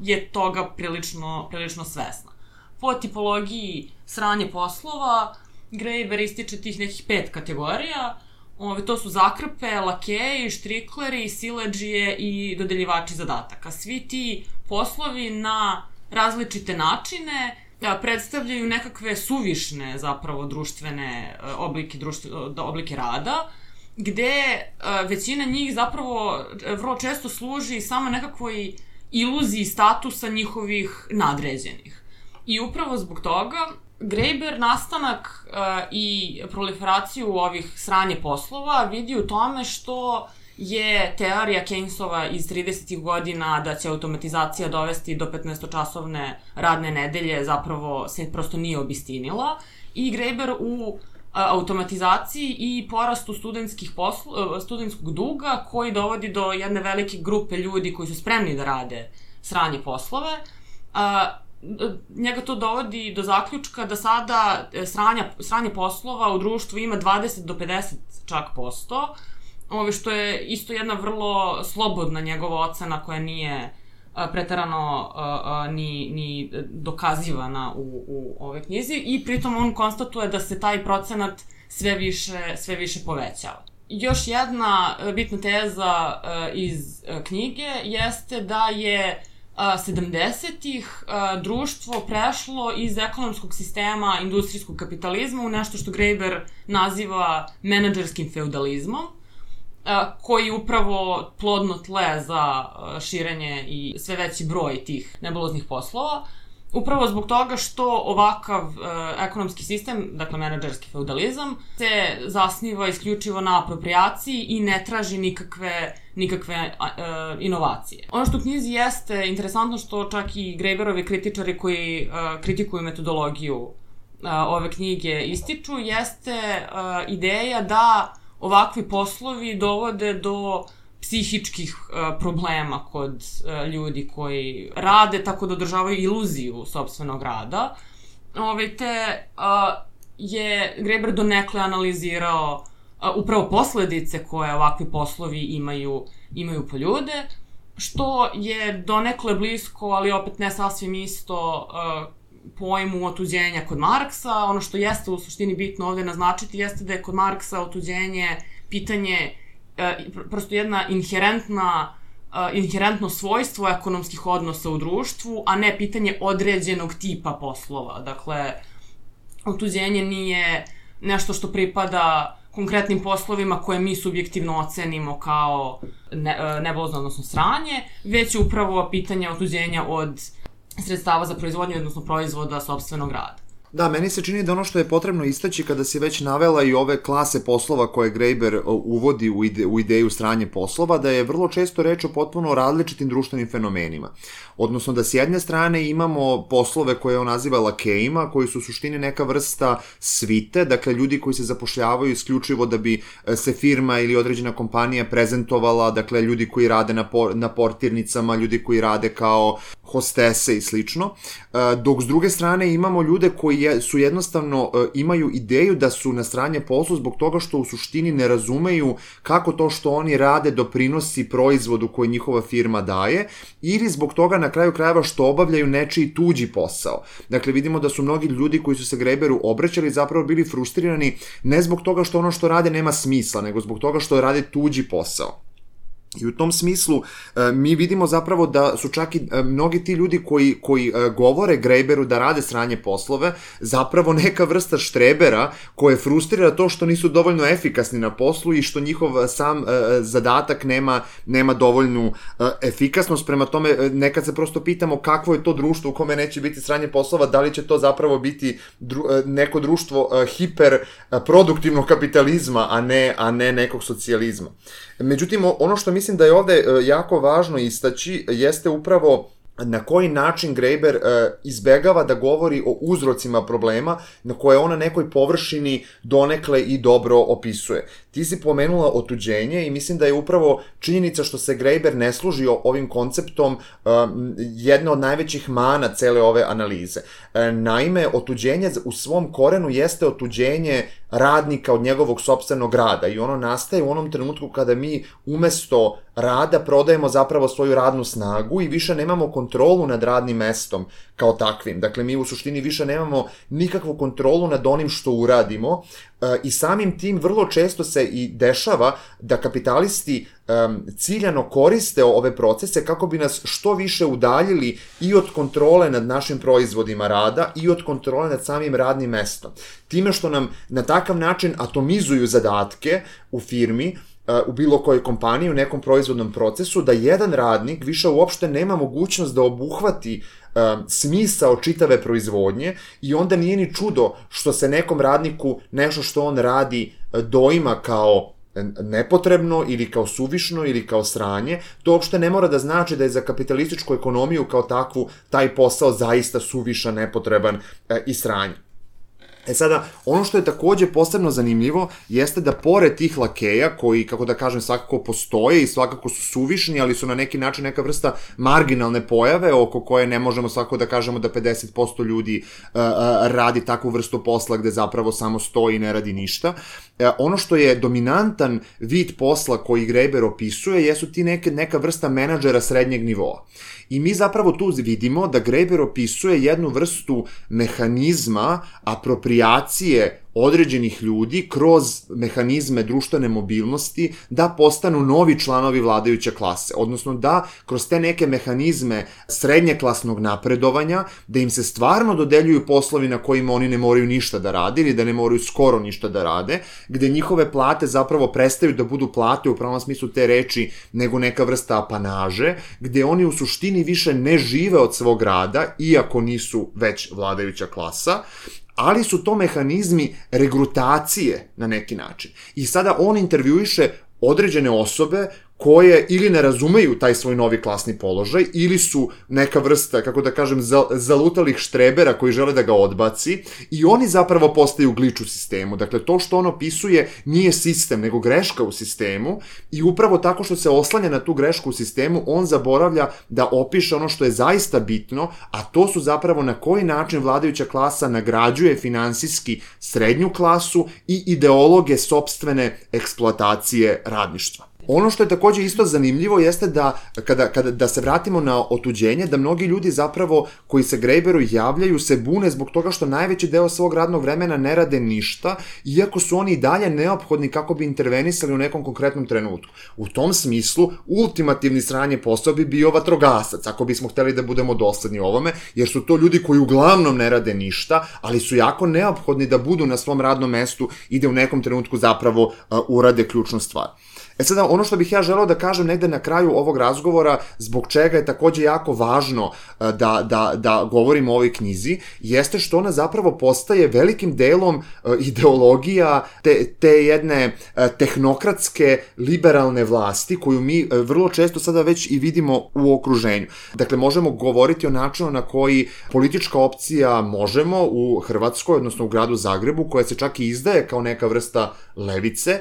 je toga prilično, prilično svesna. Po tipologiji sranje poslova, Graeber ističe tih nekih pet kategorija. Ove, to su zakrpe, lakeji, štrikleri, siledžije i dodeljivači zadataka. Svi ti poslovi na različite načine da, predstavljaju nekakve suvišne zapravo društvene oblike, društve, oblike rada, gde većina njih zapravo vrlo često služi samo nekakvoj iluziji statusa njihovih nadređenih. I upravo zbog toga Graeber nastanak uh, i proliferaciju ovih sranje poslova vidi u tome što je teorija Keynesova iz tridesetih godina da će automatizacija dovesti do petnaestočasovne radne nedelje zapravo se prosto nije obistinila i Graeber u uh, automatizaciji i porastu studentskih poslu, uh, studentskog duga koji dovodi do jedne velike grupe ljudi koji su spremni da rade sranje poslove. Uh, njega to dovodi do zaključka da sada sranja, sranje poslova u društvu ima dvadeset do pedeset čak posto, ove što je isto jedna vrlo slobodna njegova ocena koja nije preterano uh, ni, ni dokazivana u, u ove knjizi i pritom on konstatuje da se taj procenat sve više, sve više povećava. Još jedna bitna teza uh, iz uh, knjige jeste da je sedamdesetih društvo prešlo iz ekonomskog sistema industrijskog kapitalizma u nešto što Graeber naziva menadžerskim feudalizmom, koji je upravo plodno tle za širenje i sve veći broj tih nebuloznih poslova. Upravo zbog toga što ovakav uh, ekonomski sistem, dakle menadžerski feudalizam, se zasniva isključivo na apropriaciji i ne traži nikakve, nikakve uh, inovacije. Ono što u knjizi jeste interesantno što čak i Graeberovi kritičari koji uh, kritikuju metodologiju uh, ove knjige ističu, jeste uh, ideja da ovakvi poslovi dovode do psihičkih uh, problema kod uh, ljudi koji rade, tako da održavaju iluziju sopstvenog rada. Ove, te uh, je Graeber donekle analizirao uh, upravo posledice koje ovakvi poslovi imaju, imaju po ljude, što je donekle blisko, ali opet ne sasvim isto, uh, pojmu otuđenja kod Marksa. Ono što jeste u suštini bitno ovde naznačiti jeste da je kod Marksa otuđenje pitanje prosto jedna inherentna, inherentno svojstvo ekonomskih odnosa u društvu, a ne pitanje određenog tipa poslova. Dakle, otuđenje nije nešto što pripada konkretnim poslovima koje mi subjektivno ocenimo kao ne, nebulozno, odnosno sranje, već upravo pitanje otuđenja od sredstava za proizvodnju, odnosno proizvoda sopstvenog rada. Da, meni se čini da ono što je potrebno istaći kada si već navela i ove klase poslova koje Graeber uvodi u, ide, u ideju sranje poslova, da je vrlo često reč o potpuno različitim društvenim fenomenima. Odnosno da s jedne strane imamo poslove koje on naziva lakejima, koji su u suštini neka vrsta svite, dakle ljudi koji se zapošljavaju isključivo da bi se firma ili određena kompanija prezentovala, dakle ljudi koji rade na, por, na portirnicama, ljudi koji rade kao hostese i slično, dok s druge strane imamo ljude koji je, su jednostavno imaju ideju da su na sranje poslu zbog toga što u suštini ne razumeju kako to što oni rade doprinosi proizvodu koji njihova firma daje, ili zbog toga na kraju krajeva što obavljaju nečiji tuđi posao. Dakle, vidimo da su mnogi ljudi koji su se Graeberu obraćali zapravo bili frustrirani ne zbog toga što ono što rade nema smisla, nego zbog toga što rade tuđi posao. I u tom smislu mi vidimo zapravo da su čak i mnogi ti ljudi koji, koji govore Graeberu da rade sranje poslove, zapravo neka vrsta štrebera koje frustrira to što nisu dovoljno efikasni na poslu i što njihov sam zadatak nema, nema dovoljnu efikasnost. Prema tome, nekad se prosto pitamo kakvo je to društvo u kome neće biti sranje poslova, da li će to zapravo biti dru, neko društvo hiperproduktivnog kapitalizma, a ne, a ne nekog socijalizma. Međutim, ono što mislim da je ovde jako važno istaći jeste upravo na koji način Graeber e, izbegava da govori o uzrocima problema na koje ona nekoj površini donekle i dobro opisuje. Ti si pomenula otuđenje i mislim da je upravo činjenica što se Graeber ne služi ovim konceptom e, jedna od najvećih mana cele ove analize. E, naime, otuđenje u svom korenu jeste otuđenje radnika od njegovog sopstvenog rada i ono nastaje u onom trenutku kada mi umesto rada prodajemo zapravo svoju radnu snagu i više nemamo kontrolu nad radnim mestom kao takvim. Dakle, mi u suštini više nemamo nikakvu kontrolu nad onim što uradimo i samim tim vrlo često se i dešava da kapitalisti um, ciljano koriste ove procese kako bi nas što više udaljili i od kontrole nad našim proizvodima rada i od kontrole nad samim radnim mestom. Time što nam na takav način atomizuju zadatke u firmi, u bilo kojoj kompaniji, u nekom proizvodnom procesu, da jedan radnik više uopšte nema mogućnost da obuhvati um, smisao čitave proizvodnje i onda nije ni čudo što se nekom radniku nešto što on radi doima kao nepotrebno ili kao suvišno ili kao sranje. To uopšte ne mora da znači da je za kapitalističku ekonomiju kao takvu taj posao zaista suvišan, nepotreban e, i sranje. E sada, ono što je takođe posebno zanimljivo jeste da pored tih lakeja, koji, kako da kažem, svakako postoje i svakako su suvišni, ali su na neki način neka vrsta marginalne pojave oko koje ne možemo svakako da kažemo da pedeset posto ljudi uh, radi takvu vrstu posla gde zapravo samo stoji i ne radi ništa. Uh, ono što je dominantan vid posla koji Graeber opisuje jesu ti neke, neka vrsta menadžera srednjeg nivoa. I mi zapravo tu vidimo da Graeber opisuje jednu vrstu mehanizma apropriacije određenih ljudi kroz mehanizme društvene mobilnosti da postanu novi članovi vladajuće klase, odnosno da kroz te neke mehanizme srednjeklasnog napredovanja, da im se stvarno dodeljuju poslovi na kojima oni ne moraju ništa da rade ili da ne moraju skoro ništa da rade, gde njihove plate zapravo prestaju da budu plate u pravom smislu te reči nego neka vrsta apanaže, gde oni u suštini više ne žive od svog rada, iako nisu već vladajuća klasa, ali su to mehanizmi regrutacije na neki način. I sada on intervjuiše određene osobe koje ili ne razumeju taj svoj novi klasni položaj, ili su neka vrsta, kako da kažem, zalutalih štrebera koji žele da ga odbaci, i oni zapravo postaju glič u sistemu. Dakle, to što on opisuje nije sistem, nego greška u sistemu, i upravo tako što se oslanja na tu grešku u sistemu, on zaboravlja da opiše ono što je zaista bitno, a to su zapravo na koji način vladajuća klasa nagrađuje finansijski srednju klasu i ideologe sopstvene eksploatacije radništva. Ono što je takođe isto zanimljivo jeste da, kada, kada, da se vratimo na otuđenje, da mnogi ljudi zapravo koji se Graeberu javljaju se bune zbog toga što najveći deo svog radnog vremena ne rade ništa, iako su oni i dalje neophodni kako bi intervenisali u nekom konkretnom trenutku. U tom smislu, ultimativni sranje posao bi bio vatrogasac, ako bismo hteli da budemo dosledni ovome, jer su to ljudi koji uglavnom ne rade ništa, ali su jako neophodni da budu na svom radnom mestu i da u nekom trenutku zapravo uh, urade ključnu stvar. E sada, ono što bih ja želeo da kažem negde na kraju ovog razgovora, zbog čega je takođe jako važno da, da, da govorimo o ovoj knjizi, jeste što ona zapravo postaje velikim delom ideologija te, te jedne tehnokratske, liberalne vlasti, koju mi vrlo često sada već i vidimo u okruženju. Dakle, možemo govoriti o načinu na koji politička opcija Možemo u Hrvatskoj, odnosno u gradu Zagrebu, koja se čak i izdaje kao neka vrsta levice,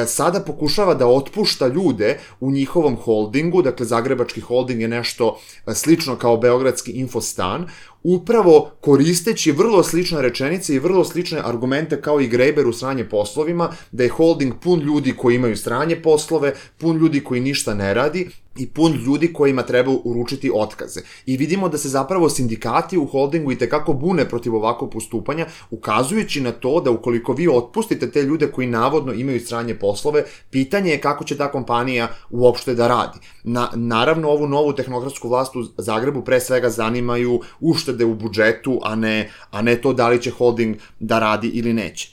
sada pokušava da otpušta ljude u njihovom holdingu. Dakle, Zagrebački holding je nešto slično kao Beogradski Infostan, upravo koristeći vrlo slične rečenice i vrlo slične argumente kao i Graeber u sranje poslovima, da je holding pun ljudi koji imaju sranje poslove, pun ljudi koji ništa ne radi i pun ljudi kojima treba uručiti otkaze. I vidimo da se zapravo sindikati u holdingu i tekako bune protiv ovakvog postupanja, ukazujući na to da ukoliko vi otpustite te ljude koji navodno imaju sranje poslove, pitanje je kako će ta kompanija uopšte da radi. Na, naravno, ovu novu tehnokratsku vlast u Zagrebu pre svega zanimaju uštede u budžetu, a ne, a ne to da li će holding da radi ili neće.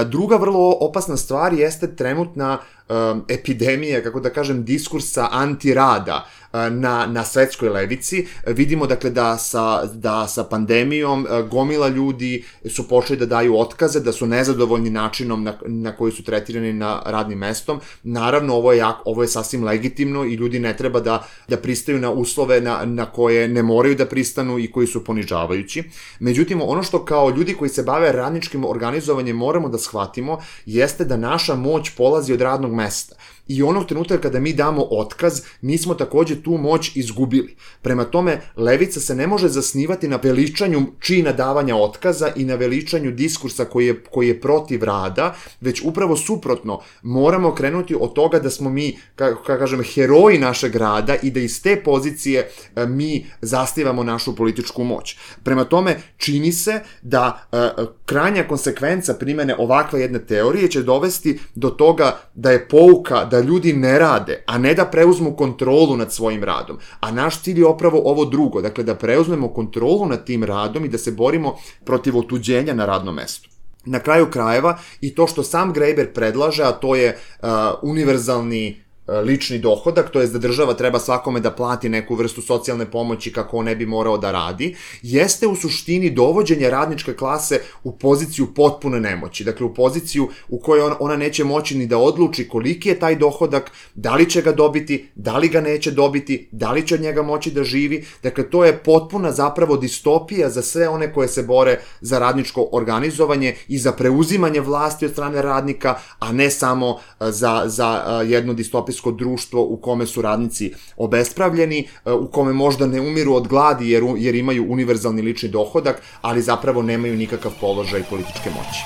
Druga vrlo opasna stvar jeste trenutna um, epidemija, kako da kažem, diskursa antirada na, na svetskoj levici. Vidimo dakle da sa, da sa pandemijom gomila ljudi su počeli da daju otkaze, da su nezadovoljni načinom na, na koji su tretirani na radnim mestom. Naravno, ovo je, jak, ovo je sasvim legitimno i ljudi ne treba da, da pristaju na uslove na, na koje ne moraju da pristanu i koji su ponižavajući. Međutim, ono što kao ljudi koji se bave radničkim organizovanjem moramo da shvatimo jeste da naša moć polazi od radnog mesta. I onog trenutka kada mi damo otkaz, mi smo takođe tu moć izgubili. Prema tome, levica se ne može zasnivati na veličanju čina davanja otkaza i na veličanju diskursa koji je, koji je protiv rada, već upravo suprotno, moramo krenuti od toga da smo mi, kako kažem, heroji našeg rada i da iz te pozicije mi zasnivamo našu političku moć. Prema tome, čini se da uh, krajnja konsekvenca primene ovakve jedne teorije će dovesti do toga da je pouka da ljudi ne rade, a ne da preuzmu kontrolu nad svojim radom. A naš cilj je opravo ovo drugo, dakle da preuzmemo kontrolu nad tim radom i da se borimo protiv otuđenja na radnom mestu. Na kraju krajeva i to što sam Graeber predlaže, a to je uh, univerzalni lični dohodak, to je da država treba svakome da plati neku vrstu socijalne pomoći kako on ne bi morao da radi, jeste u suštini dovođenje radničke klase u poziciju potpune nemoći. Dakle, u poziciju u kojoj ona neće moći ni da odluči koliki je taj dohodak, da li će ga dobiti, da li ga neće dobiti, da li će od njega moći da živi. Dakle, to je potpuna zapravo distopija za sve one koje se bore za radničko organizovanje i za preuzimanje vlasti od strane radnika, a ne samo za, za jedno distopijsko društvo u kome su radnici obespravljeni, u kome možda ne umiru od gladi jer, jer imaju univerzalni lični dohodak, ali zapravo nemaju nikakav položaj političke moći.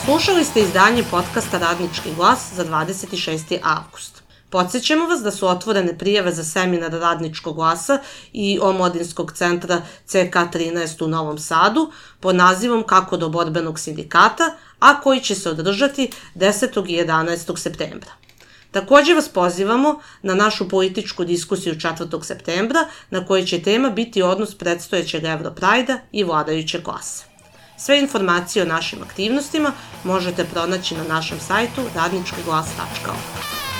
Slušali ste izdanje podcasta Radnički glas za dvadeset šesti avgust. Podsjećamo vas da su otvorene prijave za seminar Radničkog glasa i Omladinskog centra C K trinaest u Novom Sadu pod nazivom Kako do borbenog sindikata, a koji će se održati desetog i jedanaestog septembra. Takođe vas pozivamo na našu političku diskusiju četvrtog septembra, na kojoj će tema biti odnos predstojećeg Europrajda i vladajuće klase. Sve informacije o našim aktivnostima možete pronaći na našem sajtu radnički glas tačka org.